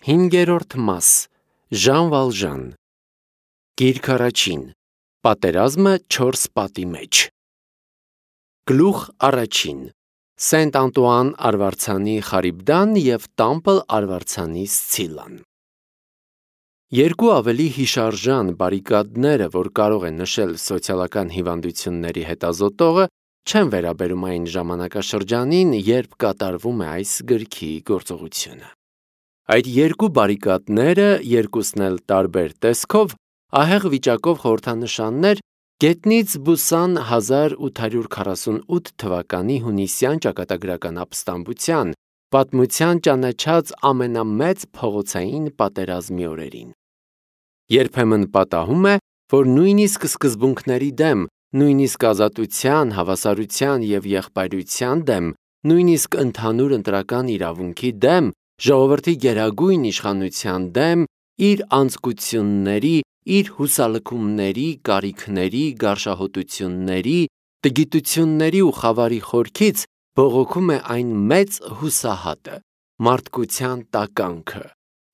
5-րդ մաս Ժան Վալժան Գիրք առաջին Պատերազմը 4 պատի մեջ Գլուխ առաջին Սենտ Անտուան արվարձանի Խարիբդան և Տամպլ արվարձանի Սցիլան Երկու ավելի հիշարժան բարիկադները, որ կարող են նշել սոցիալական հիվանդությունների հետազոտողը, չեն վերաբերում այն ժամանակաշրջանին, երբ կատարվում է այս գրքի գործողությունը։ Այդ երկու բարիկադները, երկուսն էլ տարբեր տեսքով, ահեղ վիճակով խորհրդանշաններ գետնից բուսան 1848 թվականի հունիսյան ճակատագրական ապստամբության, պատմության ճանաչած ամենամեծ փողոցային պատերազմի օրերին։ Երբեմն պատահում է, որ նույնիսկ սկզբունքների դեմ, նույնիսկ ազատության, հավասարության և եղբայրության դեմ, նույնիսկ ընդհանուր ընտրական իրավունքի դեմ, ժողովրդի գերագույն իշխանության դեմ, իր անձկությունների, իր հուսալքումների, կարիքների, գարշահոտությունների, տգիտությունների ու խավարի խորքից բողոքում է այն մեծ հուսահատը, մարդկության տականքը,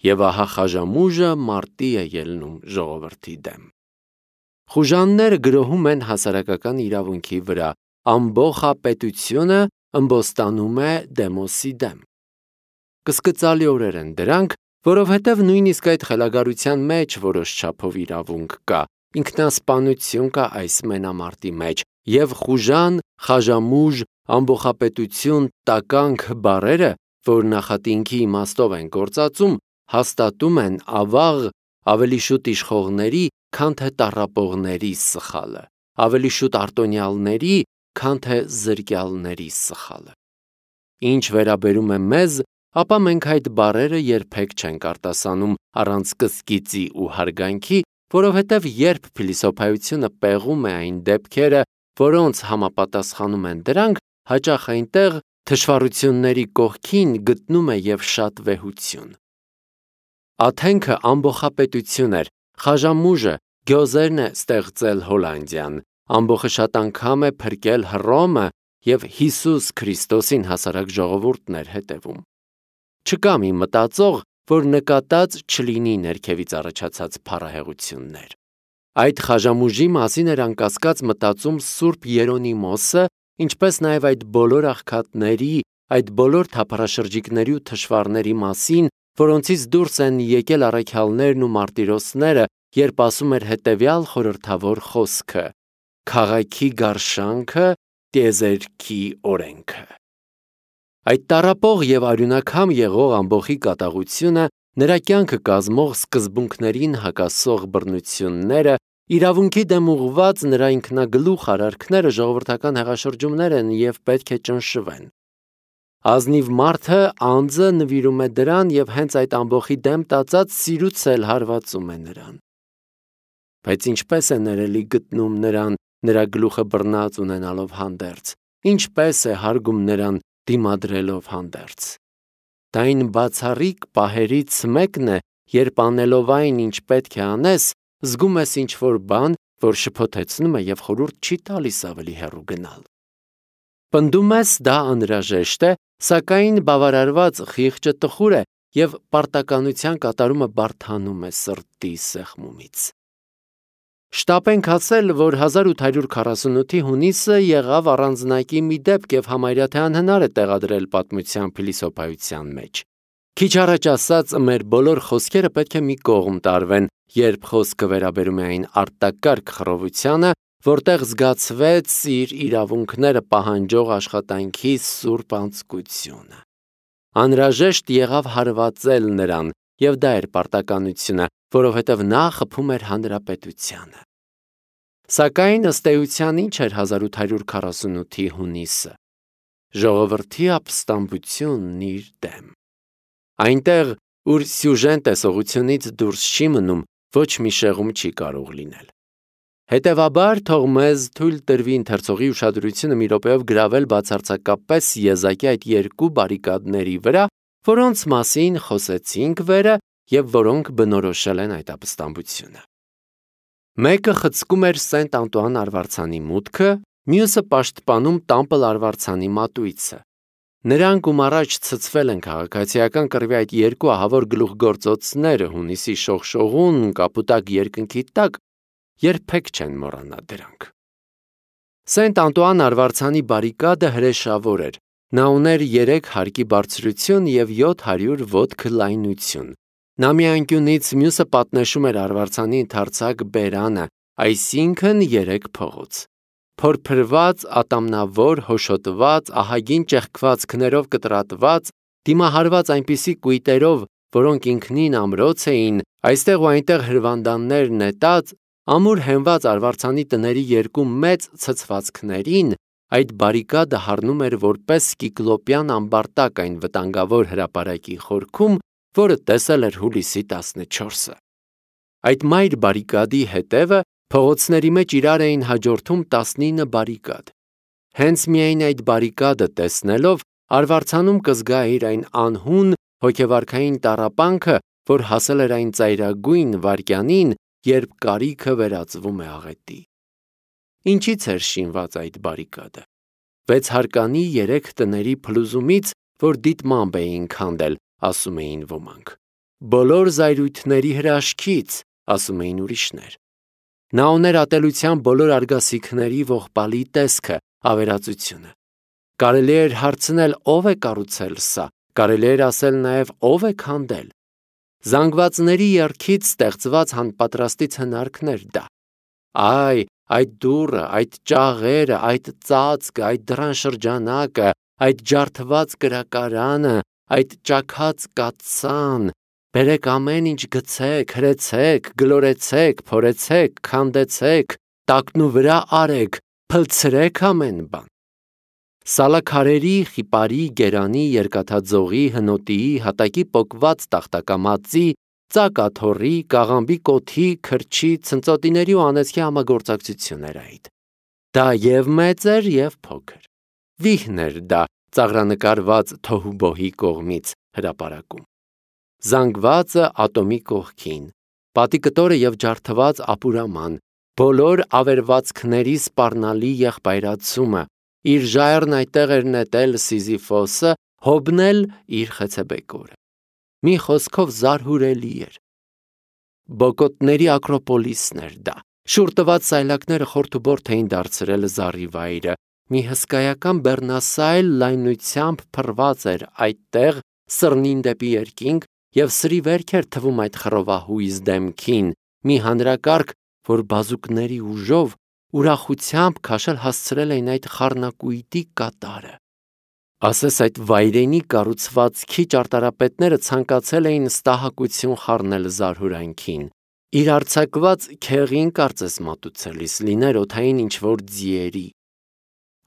և ահա խաժամուժը մարտի է ելնում ժողովրդի դեմ։ Խուժանները գրոհում են հասարակական իրավունքի վրա, ամբոխապետությունը ըմբոստանում է դեմոսի դեմ։ Կսկծալի օրեր են դրանք, որովհետև նույնիսկ այդ խելագարության մեջ որոշ չափով իրավունք կա, ինքնասպանություն կա այս մենամարտի մեջ, և խուժան, խաժամուժ, ամբոխապետություն, տականք բառերը, որ նախատինքի իմաստով են գործածում, հաստատում են ավաղ, ավելի շուտ իշխողների, քան թե տառապողների սխալը, ավելի շուտ արտոնյալների, քան թե զրկյալների սխալը։ Ինչ վերաբերում է մեզ, ապա մենք այդ բառերը երբեք չենք արտասանում առանց կսկիծի ու հարգանքի, որովհետև երբ փիլիսոփայությունը պեղում է այն դեպքերը, որոնց համապատասխանում են դրանք, հաճախ այնտեղ թշվառությունների կողքին գտնում է և շատ վեհություն։ Աթենքը ամբոխապետություն էր, խաժամուժը, գյոզերն է ստեղծել Հոլանդիան, ամբոխը շատ անգամ է փրկել Հռոմը և Հիսուս Քրիստոսին հասարակ ժողովուրդն էր հետևում։ Չկա մի մտածող, որ նկատած չլինի ներքևից առաջացած փառահեղություններ։ Այդ խաժամուժի մասին էր անկասկած մտածում Սուրբ Երոնիմոսը, ինչպես նաև այդ բոլոր աղքատների, այդ բոլոր թափառաշրջիկների ու թշվառների մասին, որոնցից դուրս են եկել առաքյալներն ու մարտիրոսները, երբ ասում էր հետևյալ խորհրդավոր խոսքը. «Քաղաքի գարշանքը, տիեզերքի օրենքը»։ Այդ տառապող և արյունակամ եղող ամբոխի կատաղությունը, նրա կյանքը կազմող սկզբունքներին հակասող բռնությունները, իրավունքի դեմ ուղղված նրա ինքնագլուխ արարքները ժողովրդական հեղաշրջումներ են և պետք է ճնշվեն։ Ազնիվ մարդը, անձը նվիրում է դրան և հենց այդ ամբոխի դեմ տածած սիրուց էլ հարվածում է նրան։ Բայց ինչպես է ներելի գտնում նրան, նրա գլուխը բռնած ունենալով հանդերձ, ինչպես է հարգում նրան դիմադրելով հանդերձ։ Դա այն բացառիկ պահերից մեկն է, երբ անելով այն, ինչ պետք է անես, զգում ես ինչ-որ բան, որ շփոթեցնում է և խորհուրդ չի տալիս ավելի հեռու գնալ։ Պնդում ես դա անհրաժեշտ է, սակայն բավարարված խիղճը տխուր է և պարտականության կատարումը բարդանում է սրտի սեղմումից։ Շտապ ենք ասել, որ 1848-ի հունիսը եղավ առանձնակի մի դեպք և համարյա թե անհնար է տեղադրել պատմության փիլիսոփայության մեջ։ Քիչ առաջ ասած, մեր բոլոր խոսքերը պետք է մի կողմ տարվեն, երբ խոսքը վերաբերում է այն արտակարգ խռովությանը, որտեղ զգացվեց իր իրավունքները պահանջող աշխատանքի սուրբ անձկությունը։ Անհրաժեշտ եղավ հարվածել նրան, և դա էր պարտականությունը, որովհետև նա խփում էր հանրապետությանը։ Սակայն ըստ էության ինչ էր 1848-ի հունիսը։ Ժողովրդի ապստամբությունն իր դեմ։ Այնտեղ, ուր սյուժեն տեսողությունից դուրս չի մնում, ոչ մի շեղում չի կարող լինել։ Հետևաբար, թող մեզ թույլ տրվի ընթերցողի ուշադրությունը մի րոպեով գրավել բացարձակապես եզակի այդ երկու բարիկադների վրա, որոնց մասին խոսեցինք վերը և որոնք բնորոշել են այդ ապստամբությունը։ Մեկը խցկում էր Սենտ Անտուան արվարձանի մուտքը, մյուսը պաշտպանում Տամպլ արվարձանի մատույցը։ Նրանք, ում առաջ ցցվել են քաղաքացիական կռվի այդ երկու ահավոր գլուխգործոցները հունիսի շողշողուն կապուտակ երկնքի տակ, երբեք չեն մոռանա դրանք։ Սենտ Անտուան արվարձանի բարիկադը հրեշավոր էր։ Նա ուներ 3 հարկի բարձրություն և 700 ոտք լայնություն։ Նա մի անկյունից մյուսը պատնեշում էր արվարձանի ընդարձակ բերանը, այսինքն 3 փողոց։ Փորփրված, ատամնավոր, հոշոտված, ահագին ճեղքվածքներով կտրատված, դիմահարված այնպիսի կույտերով, որոնք ինքնին ամրոց էին, այստեղ ու այնտեղ հրվանդաններ նետած, ամուր հենված արվարձանի տների 2 մեծ ցցվածքներին, այդ բարիկադը հառնում էր որպես կիկլոպյան ամբարտակ այն վտանգավոր հրապարակի խորքում, որը տեսել էր հուլիսի 14-ը։ Այդ մայր բարիկադի հետևը փողոցների մեջ իրար էին հաջորդում 19 բարիկադ։ Հենց միայն այդ բարիկադը տեսնելով, արվարձանում կզգայիր այն անհուն հոգեվարքային տառապանքը, որ հասել էր այն ծայրագույն վայրկյանին, երբ կարիքը վերածվում է աղետի։ Ինչից էր շինված այդ բարիկադը։ 6 հարկանի 3 տների փլուզումից, որ դիտմամբ էին քանդել, ասում էին ոմանք։ Բոլոր զայրույթների հրաշքից, ասում էին ուրիշներ։ Նա ուներ ատելության բոլոր արգասիքների ողբալի տեսքը, ավերածությունը։ Կարելի էր հարցնել, ով է կառուցել սա, կարելի էր ասել նաև ով է քանդել։ Զանգվածների եռքից ստեղծված հանպատրաստից հնարքներ դա։ Այ, այդ դուռը, այդ ճաղերը, այդ ծածկը, այդ դռան շրջանակը, այդ ջարդված կրակարանը, այդ ճաքած կաթսան, բերեք ամեն ինչ գցեք, հրեցեք, գլորեցեք, փորեցեք, քանդեցեք, տակնու վրա արեք, փլցրեք ամեն բան։ Սալաքարերի, խիպարի, գերանի, երկաթաձողի, հնոտիի, հատակի պոկված տախտակամածի, ծակաթոռի, կաղամբի կոթի, քրչի, ցնծոտիների ու անեծքի համագործակցություն էր այդ։ Դա և մեծ էր, և փոքր։ Վիհն էր դա ծաղրանկարված թոհուբոհի կողմից հրապարակում։ Զանգվածը ատոմի կողքին, պատիկտորը և ջարդված ապուրաման, բոլոր ավերվածքների սպառնալի եղբայրացումը, իր ժայռն այդտեղ էր նետել Սիզիֆոսը, Հոբն էլ իր խեցեբեկորը։ Մի խոսքով զարհուրելի էր։ Բոկոտների ակրոպոլիսն էր դա։ Շուռ տված սայլակները խորթուբորթ էին դարձրել զառիվայրը, մի հսկայական բեռնասայլ լայնությամբ փռված էր այդտեղ սրնին դեպի երկինք, և սրի վերք էր թվում այդ խռովահույզ դեմքին, մի հանրակարգ, որ բազուկների ուժով, ուրախությամբ քաշել հասցրել էին այդ խառնակույտի կատարը։ Ասես այդ վայրենի կառուցվածքի ճարտարապետները ցանկացել էին ստահակություն խառնել զարհուրանքին։ Իր արձակված քեղին կարծես մատուցելիս լիներ օդային ինչ-որ ձիերի։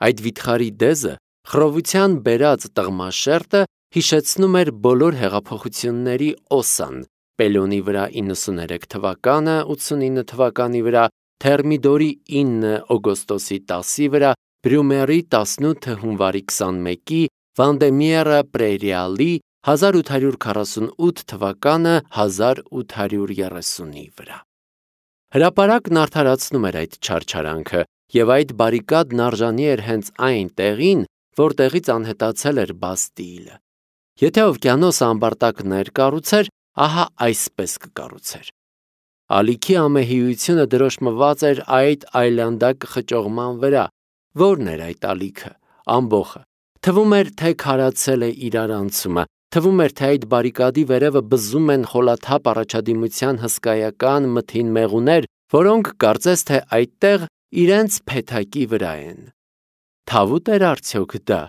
Այդ վիթխարի դեզը, խռովության բերած տղմաշերտը հիշեցնում էր բոլոր հեղափոխությունների օսան, Պելոնի վրա 93 թվականը, 89 թվականի վրա, Թերմիդորի 9 օգոստոսի 10-ի վրա, Բրյումերի 18 հունվարի 21-ի, Վանդեմիերը Պրերիալի 1848 թվականը 1830-ի վրա։ Հրապարակն արդարացնում էր այդ չարչարանքը, և այդ բարիկադն արժանի էր հենց այն տեղին, որտեղից անհետացել էր Բաստիլը։ Եթե օվկիանոսը ամբարտակներ կառուցեր, ահա այսպես կկառուցեր։ Ալիքի ամեհիությունը դրոշմված էր այդ այլանդակ խճողման վրա։ Որն էր այդ ալիքը, ամբոխը։ Թվում էր, թե քարացել է իրարանցումը, թվում էր, թե այդ բարիկադի վերևը բզում են խոլաթափ առաջադիմության հսկայական մթին մեղուներ, որոնք կարծես թե այդտեղ իրենց փեթակի վրա են։ Թավուտ էր արդյոք դա,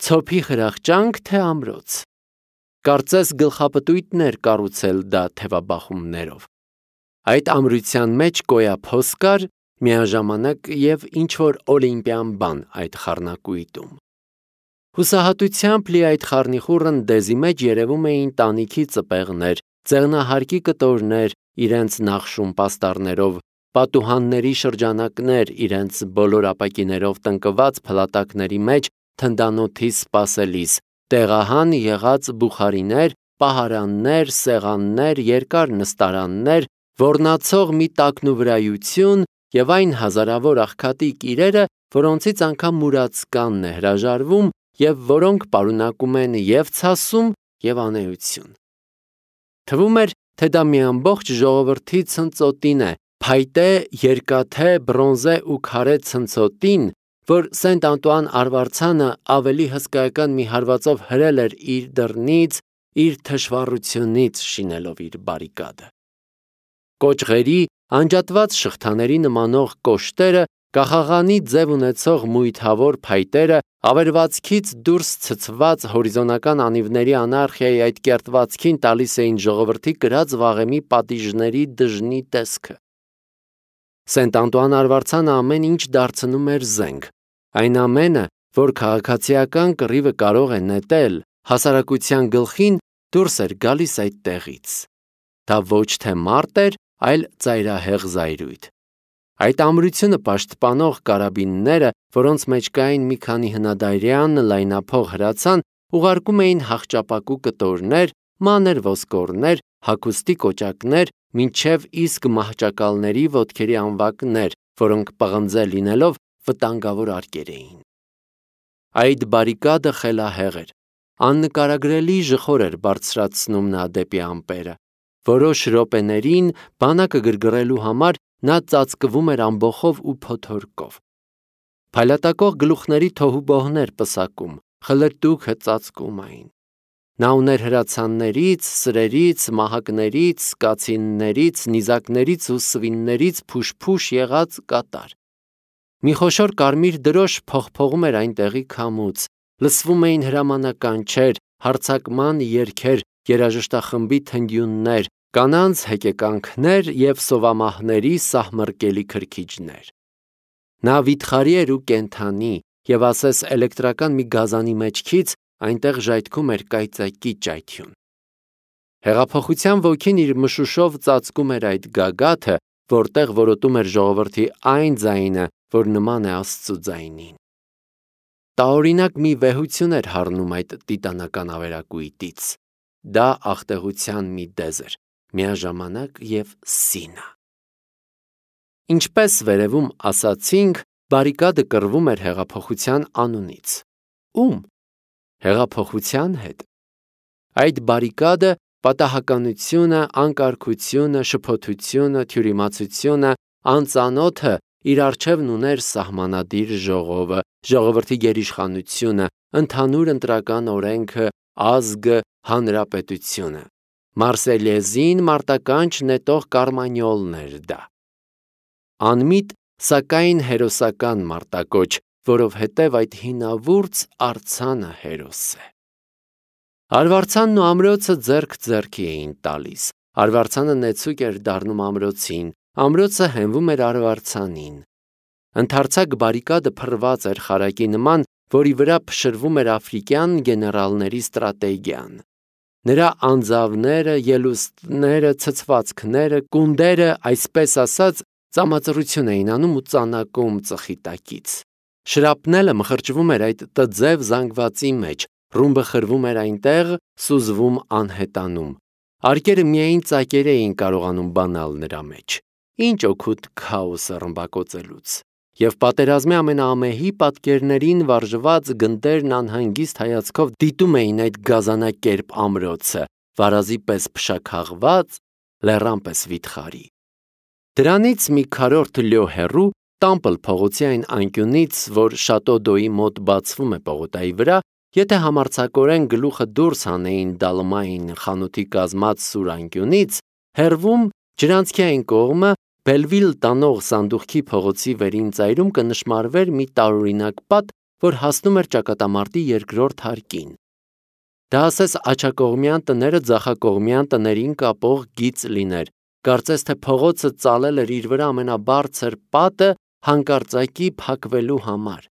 ցոփի խրախճանք, թե ամրոց։ Կարծես գլխապտույտներ կառուցել դա թևաբախումներով։ Այդ ամրության մեջ կոյափոս կար, միաժամանակ և ինչ-որ օլիմպիան բան այդ խառնակույտում։ Հուսահատությամբ լի այդ խառնիխուռն դեզի մեջ երևում էին տանիքի ծպեղներ, ծեղնահարկի կտորներ իրենց նախշում պաստառներով, պատուհանների շրջանակներ իրենց բոլոր ապակիներով տնկված փլատակների մեջ թնդանոթի սպասելիս, տեղահան եղած բուխարիներ, պահարաններ, սեղաններ, երկար նստարաններ, ոռնացող մի տակնուվրայություն և այն հազարավոր աղքատիկ իրերը, որոնցից անգամ մուրացկանն է հրաժարվում, և որոնք պարունակում են և ցասում, և անեություն։ Թվում էր, թե դա մի ամբողջ ժողովրդի ցնծոտին է, փայտե, երկաթե, բրոնզե ու քարե ցնծոտին, որ Սենտ Անտուան արվարձանը ավելի հսկայական մի հարվածով հրել էր իր դռնից, իր թշվառությունից շինելով իր բարիկադը։ Կոճղերի, անջատված շղթաների նմանող կոշտերը, կախաղանի ձև ունեցող մույթավոր փայտերը, ավերվածքից դուրս ցցված հորիզոնական անիվների անարխիայի այդ կերտվածքին տալիս էին ժողովրդի կրած վաղեմի պատիժների դժնի տեսքը։ Սենտ Անտուան արվարձանը ամեն ինչ դարձնում էր զենք, այն ամենը, որ քաղաքացիական կռիվը կարող է նետել, հասարակության գլխին դուրս էր գալիս այդ տեղից։ Դա ոչ թե մարդ էր, այլ ծայրահեղ զայրույթ։ Այդ ամրությունը պաշտպանող կարաբինները, որոնց մեջ կային մի քանի հնադարյան լայնափող հրացան, ուղարկում էին հախճապակու կտորներ, մանր ոսկորներ, հագուստի կոճակներ, մինչև իսկ մահճակալների ոտքերի անվակներ, որոնք պղնձե լինելով վտանգավոր արկեր էին։ Այդ բարիկադը խելահեղ էր, աննկարագրելի ժխոր էր բարձրացնում նա դեպի ամպերը։ Որոշ րոպեներին բանակը գրգռելու համար նա ծածկվում էր ամբոխով ու փոթորկով։ Փայլատակող գլուխների թոհուբոհներ պսակում, խլրտուքը ծածկում այն։ Նա ուներ հրացաններից, սրերից, մահակներից, կացիններից, նիզակներից ու սվիններից փուշ-փուշ եղած կատար։ Մի խոշոր կարմիր դրոշ փողփողում էր այնտեղի քամուց, լսվում էին հրամանականչեր, հարձակման երգեր, երաժշտախմբի թնդյուններ, կանանց հեկեկանքներ և սովամահների սահմռկելի քրքիջներ։ Նա վիթխարի էր ու կենդանի, և ասես էլեկտրական մի գազանի մեջքից այնտեղ ժայթքում էր կայծակի ճայթյուն։ Հեղափոխության ոգին իր մշուշով ծածկում էր այդ գագաթը, որտեղ որոտում էր ժողովրդի այն ձայնը, որ նման է Աստծու ձայնին։ Տարօրինակ մի վեհություն էր հառնում այդ տիտանական ավերակույտից։ Դա աղտեղության մի դեզ էր, միաժամանակ և սինը։ Ինչպես վերևում ասացինք, բարիկադը կռվում էր հեղափոխության անունից։ Ո՞ւմ։ Հեղափոխության հետ։ Այդ բարիկադը պատահականությունը, անկարգությունը, շփոթությունը, թյուրիմացությունը, անծանոթը իր առջևն ուներ սահմանադիր ժողովը, ժողովրդի գերիշխանությունը, ընդհանուր ընտրական օրենքը, ազգը, հանրապետությունը։ Մարսելիեզին մարտականչ նետող կարմանյոլն էր դա։ Անմիտ, սակայն հերոսական մարտակոչ, որովհետև այդ հինավուրց արձանը հերոս է։ Արվարձանն ու ամրոցը ձեռք ձեռքի էին տալիս, արվարձանը նեցուկ էր դառնում ամրոցին, ամրոցը հենվում էր արվարձանին։ Ընդարձակ բարիկադը փռված էր խարակի նման, որի վրա փշրվում էր աֆրիկյան գեներալների ստրատեգիան։ Նրա անձավները, ելուստները, ցցվածքները, կունդերը, այսպես ասած, ծամածռություն էին անում ու ծանակում ծխի տակից։ Շրապնելը մխրճվում էր այդ տձև զանգվածի մեջ, ռումբը խրվում էր այնտեղ, սուզվում անհետանում։ Արկերը միայն ծակեր էին կարողանում բանալ նրա մեջ։ Ինչ օգուտ քաոսը ռմբակոծելուց։ Եվ պատերազմի ամենաամեհի պատկերներին վարժված գնդերն անհանգիստ հայացքով դիտում էին այդ գազանակերպ ամրոցը, վարազի պես փշաքաղված, լեռան պես վիթխարի։ Դրանից մի քառորդ լյո հեռու, Տամպլ փողոցի այն անկյունից, որ Շատո-Դոյի մոտ բացվում է պողոտայի վրա, եթե համարձակորեն գլուխը դուրս հանեին Դալմային խանութի կազմած սուր անկյունից, հեռվում ջրանցքի այն կողմը Բելվիլ տանող սանդուղքի փողոցի վերին ծայրում կնշմարվեր մի տարօրինակ պատ, որ հասնում էր ճակատամարտի երկրորդ հարկին։ Դա ասես աջակողմյան տները ձախակողմյան տներին կապող գիծ լիներ, կարծես թե փողոցը ծալել էր իր վրա ամենաբարձր պատը հանկարծակի փակվելու համար։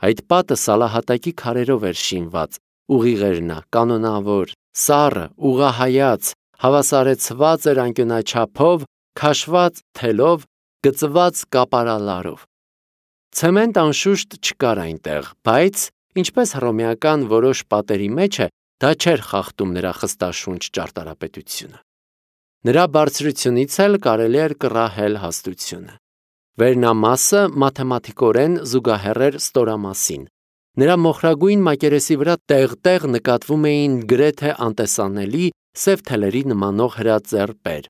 Այդ պատը սալահատակի քարերով էր շինված, ուղիղ էր նա, կանոնավոր, սառը, ուղղահայաց, հավասարեցված էր անկյունաչափով, քաշված թելով, գծված կապարալարով։ Ցեմենտ անշուշտ չկար այնտեղ, բայց, ինչպես հռոմեական որոշ պատերի մեջ է, դա չէր խախտում նրա խստաշունչ ճարտարապետությունը։ Նրա բարձրությունից էլ կարելի էր կռահել հաստությունը։ Վերնամասը մաթեմատիկորեն զուգահեռ էր ստորամասին։ Նրա մոխրագույն մակերեսի վրա տեղ-տեղ նկատվում էին գրեթե անտեսանելի սև թելերի նմանող հրաձեռպեր։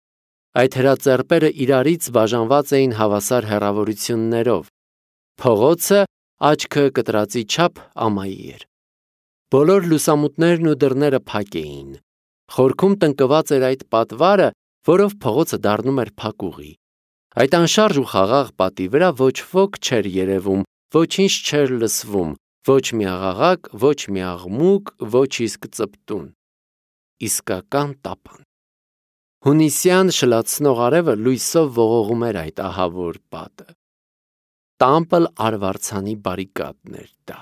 Այդ հրաձեռպերը իրարից բաժանված էին հավասար հեռավորություններով։ Փողոցը աչքը կտրածի չափ ամայի էր։ Բոլոր լուսամուտներն ու դռները փակ էին։ Խորքում տնկված էր այդ պատվարը, որով փողոցը դառնում էր փակուղի։ Այդ անշարժ ու խաղաղ պատի վրա ոչ ոք չէր երևում, ոչինչ չէր լսվում, ոչ մի աղաղակ, ոչ մի աղմուկ, ոչ իսկ ծպտուն։ Իսկական տապան։ Հունիսյան շլացնող արևը լույսով ողողում էր այդ ահավոր պատը։ Տամպլ արվարձանի բարիկադն էր դա։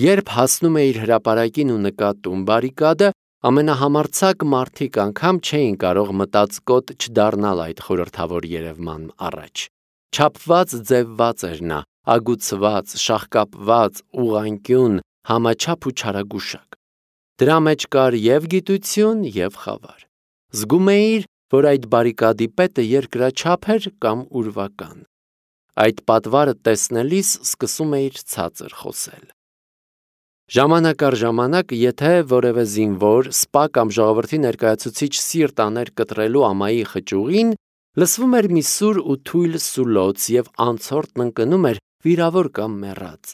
Երբ հասնում էիր հրապարակին ու նկատում բարիկադը, ամենահամարձակ մարդիկ անգամ չէին կարող մտածկոտ չդառնալ այդ խորհրդավոր երևման առաջ։ Չափված ձևված էր նա, ագուցված, շաղկապված, ուղղանկյուն, համաչափ ու չարագուշակ։ Դրա մեջ կար և գիտություն, և խավար։ Զգում էիր, որ այդ բարիկադի պետը երկրաչափ էր կամ ուրվական։ Այդ պատվարը տեսնելիս սկսում էիր ցածր խոսել։ Ժամանակ առ ժամանակ, եթե որևէ զինվոր, սպա կամ ժողովրդի ներկայացուցիչ սիրտ աներ կտրելու ամայի խճուղին, լսվում էր մի սուր ու թույլ սուլոց և անցորդն ընկնում էր վիրավոր կամ մեռած։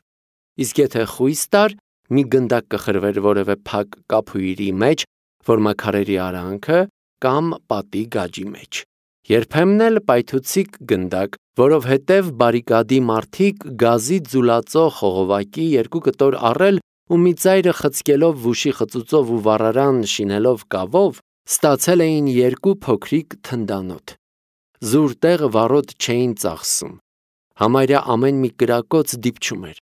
Իսկ եթե խույս տար, մի գնդակ կխրվեր որևէ փակ կափույրի մեջ, որ մաքարերի արանքը կամ պատի գաջի մեջ։ Երբեմն էլ պայթուցիկ գնդակ, որովհետև բարիկադի մարդիկ գազի ձուլածո խողովակի երկու կտոր առել ու մի ծայրը խցկելով վուշի խծուծով ու վառարան շինելով կավով, ստացել էին երկու փոքրիկ թնդանոթ։ Զուր տեղը վառոդ չէին ծախսում։ Համարյա ամեն մի կրակոց դիպչում էր։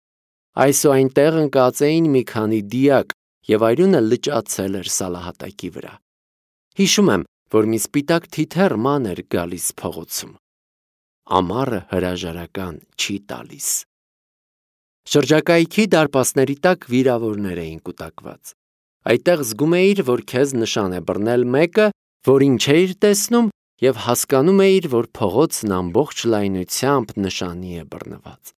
Այս ու այնտեղ ընկած էին մի քանի դիակ, և այրունը լճացել էր սալահատակի վրա։ Հիշում եմ, որ մի սպիտակ թիթեռ ման էր գալիս փողոցում։ Ամառը հրաժարական չի տալիս։ Շրջակայքի դարպասների տակ վիրավորներ էին կուտակված։ Այդտեղ զգում էիր, որ քեզ նշան է բռնել մեկը, որին չէիր տեսնում, և հասկանում էիր, որ փողոցն ամբողջ լայնությամբ նշանի է բռնված։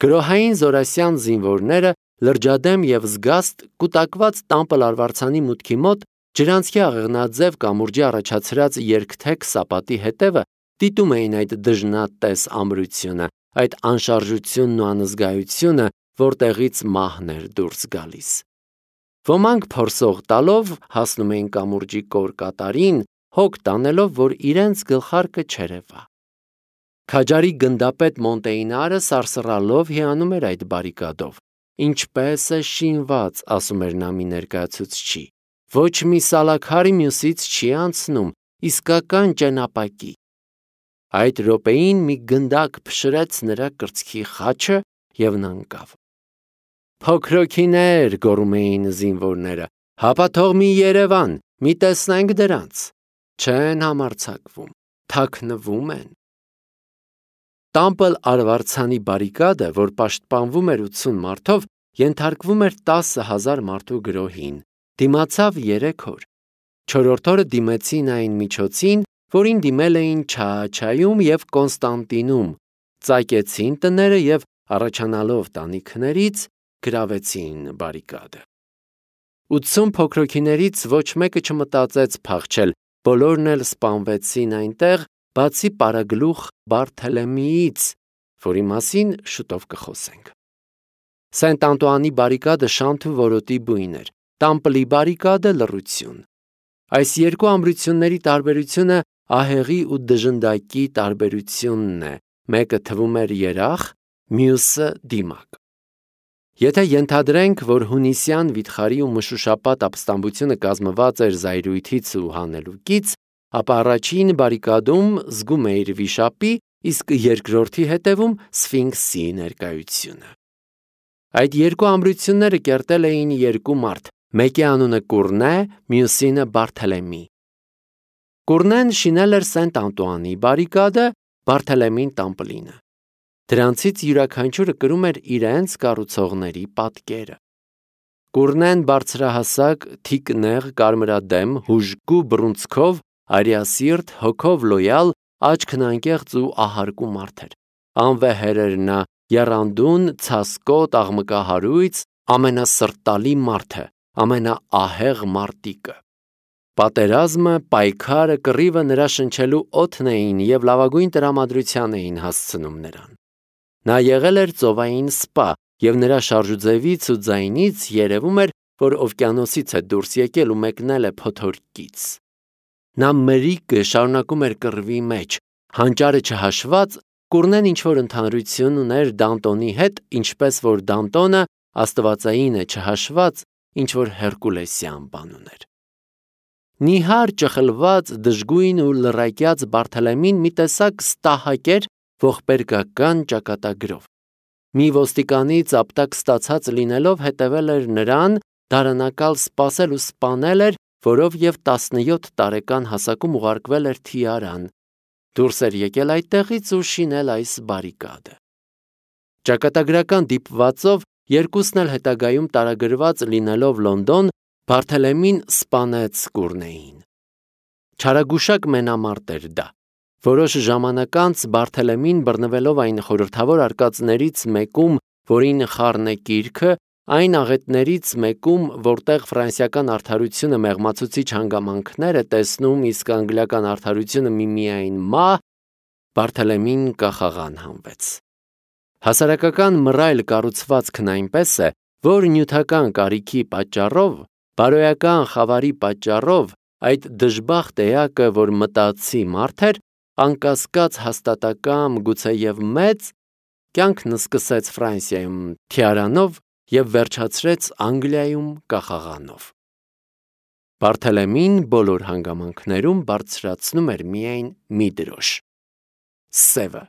Գրոհային զորասյան զինվորները լրջադեմ և զգաստ կուտակված Տամպլ արվարձանի մուտքի մոտ ջրանցքի աղեղնաձև կամուրջի առաջացրած երկթեք սապատի հետևը դիտում էին այդ դժնատես ամրությունը, այդ անշարժությունն ու անզգայությունը, որտեղից մահն էր դուրս գալիս։ Ոմանք փորսող տալով հասնում էին կամուրջի կոր կատարին, հոգ տանելով, որ իրենց գլխարկը չերևա։ Քաջարի գնդապետ Մոնտեյնարը սարսռալով հիանում էր այդ բարիկադով։ Ինչպես է շինված, ասում էր նա մի ներկայացուցչի։ Ոչ մի սալաքարի մյուսից չի անցնում, իսկական ճենապակի։ Այդ րոպեին մի գնդակ փշրեց նրա կրծքի խաչը և նա ընկավ։ Փոքրոքիներ, գոռում էին զինվորները, հապա թող մի Երևան, մի տեսնենք դրանց։ Չեն համարձակվում, թաքնվում են։ Տամպլ արվարձանի բարիկադը, որ պաշտպանվում էր 80 մարդով, ենթարկվում էր 10,000 մարդու գրոհին, դիմացավ 3 օր։ Չորրորդ օրը դիմեցին այն միջոցին, որին դիմել էին Չաաչայում և Կոնստանտինում, ծակեցին տները և առաջանալով տանիքներից գրավեցին բարիկադը։ 80 փոքրոքիներից ոչ մեկը չմտածեց փախչել, բոլորն էլ սպանվեցին այնտեղ, բացի պարագլուխ Բարթելեմեից, որի մասին շուտով կխոսենք։ Սենտ Անտուանի բարիկադը շանթ ու որոտի բույն էր, Տամպլի բարիկադը լռություն։ Այս երկու ամրությունների տարբերությունը ահեղի ու դժնդակի տարբերությունն է, մեկը թվում էր երախ, մյուսը դիմակ։ Եթե ենթադրենք, որ հունիսյան վիթխարի ու մշուշապատ ապստամբությունը կազմված էր զայրույթից ու հանելուկից, ապա առաջին բարիկադում զգում էիր վիշապի, իսկ երկրորդի հետևում Սֆինքսի ներկայությունը։ Այդ երկու ամրությունները կերտել էին երկու մարդ, մեկի անունը Կուրնե, մյուսինը Բարթելեմի։ Կուրնեն շինել էր Սենտ Անտուանի բարիկադը, Բարթելեմին Տամպլինը։ Դրանցից յուրաքանչյուրը կրում էր իրենց կառուցողների պատկերը։ Կուրնեն բարձրահասակ, թիկնեղ, կարմրադեմ, հուժկու բռունցքով, արիասիրտ, հոգով լոյալ, աչքն անկեղծ ու ահարկու մարդ էր։ Անվեհեր էր նա, եռանդուն, ցասկոտ, աղմկահարույց, ամենասրտալի մարդը, ամենաահեղ մարտիկը։ Պատերազմը, պայքարը, կռիվը նրա շնչելու օդն էին և լավագույն տրամադրության էին հասցնում նրան։ Նա եղել էր ծովային սպա, և նրա շարժուձևից ու ձայնից երևում էր, որ օվկիանոսից է դուրս եկել ու մեկնել է փոթորկից։ Նա մրիկը շարունակում էր կռվի մեջ, հանճարը չհաշված, կուռնեն ինչ-որ ընդհանրություն ուներ Դանտոնի հետ, ինչպես որ Դանտոնը աստվածայինը չհաշված ինչ-որ հերկուլեսյան բան ուներ։ Նիհար, ճխլված, դժգույն ու լռակյաց Բարթելեմին մի տեսակ ստահակ էր ողբերգական ճակատագրով։ Մի ոստիկանից ապտակ ստացած լինելով հետևել էր նրան, դարանակալ սպասել ու սպանել էր, որով և 17 տարեկան հասակում ուղարկվել էր Թիարան, դուրս էր եկել այդտեղից ու շինել այս բարիկադը։ Ճակատագրական դիպվածով երկուսն էլ հետագայում տարագրված լինելով Լոնդոն, Բարթելեմին սպանեց կուռնեին։ Չարագուշակ մենամարտ էր դա։ Որոշ ժամանակ անց Բարթելեմին բռնվելով այն խորհրդավոր արկածներից մեկում, որին խառն է կիրքը, այն աղետներից մեկում, որտեղ ֆրանսիական արդարությունը մեղմացուցիչ հանգամանքներ է տեսնում, իսկ անգլիական արդարությունը միմիայն մահ, Բարթելեմին կախաղան հանվեց։ Հասարակական մռայլ կառուցվածքն այնպես է, որ նյութական կարիքի պատճառով, բարոյական խավարի պատճառով այդ դժբախտ էակը, որ մտածի մարդ էր, անկասկած հաստատակամ, գուցեև մեծ, կյանքն սկսեց Ֆրանսիայում Թիարանով և վերջացրեց Անգլիայում կախաղանով։ Բարթելեմին բոլոր հանգամանքներում բարձրացնում էր միայն մի դրոշ՝ սևը։